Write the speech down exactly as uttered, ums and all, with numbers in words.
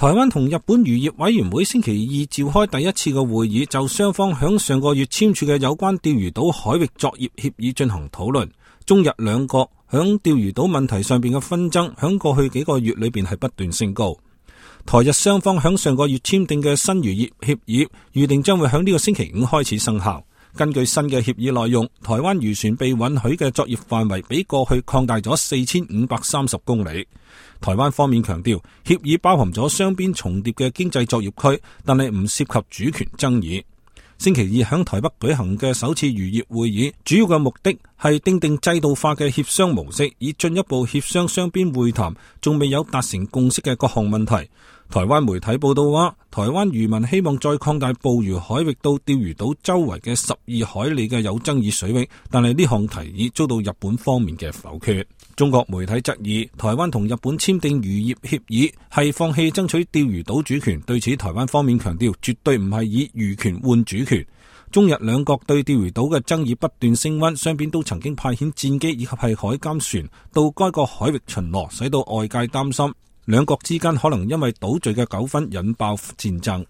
台灣同日本漁業委員會星期二召開第一次嘅會議，就雙方響上個月簽署嘅有關釣魚島海域作業協議進行討論。中日兩國響釣魚島問題上邊嘅紛爭，響過去幾個月裏邊係不斷升高。台日雙方響上個月簽訂嘅新漁業協議，預定將會響呢個星期五開始生效。根據新嘅協議內容，台灣漁船被允許嘅作業範圍比過去擴大咗四千五百三十公里。台灣方面強調，協議包含咗雙邊重疊嘅經濟作業區，但係唔涉及主權爭議。星期二響台北舉行嘅首次漁業會議，主要嘅目的係訂定制度化嘅協商模式，以進一步協商雙邊會談仲未有達成共識嘅各項問題。台灣媒體報道話，台灣漁民希望再擴大捕魚海域到釣魚島周圍嘅十二海里嘅有爭議水域，但係呢項提議遭到日本方面嘅否決。中國媒體質疑台灣同日本簽訂漁業協議係放棄爭取釣魚島主權，對此台灣方面強調絕對唔係以漁權換主權。中日兩國對釣魚島嘅爭議不斷升溫，雙邊都曾經派遣戰機以及係海監船到該個海域巡邏，使到外界擔心兩國之間可能因為島嶼嘅糾紛引爆戰爭。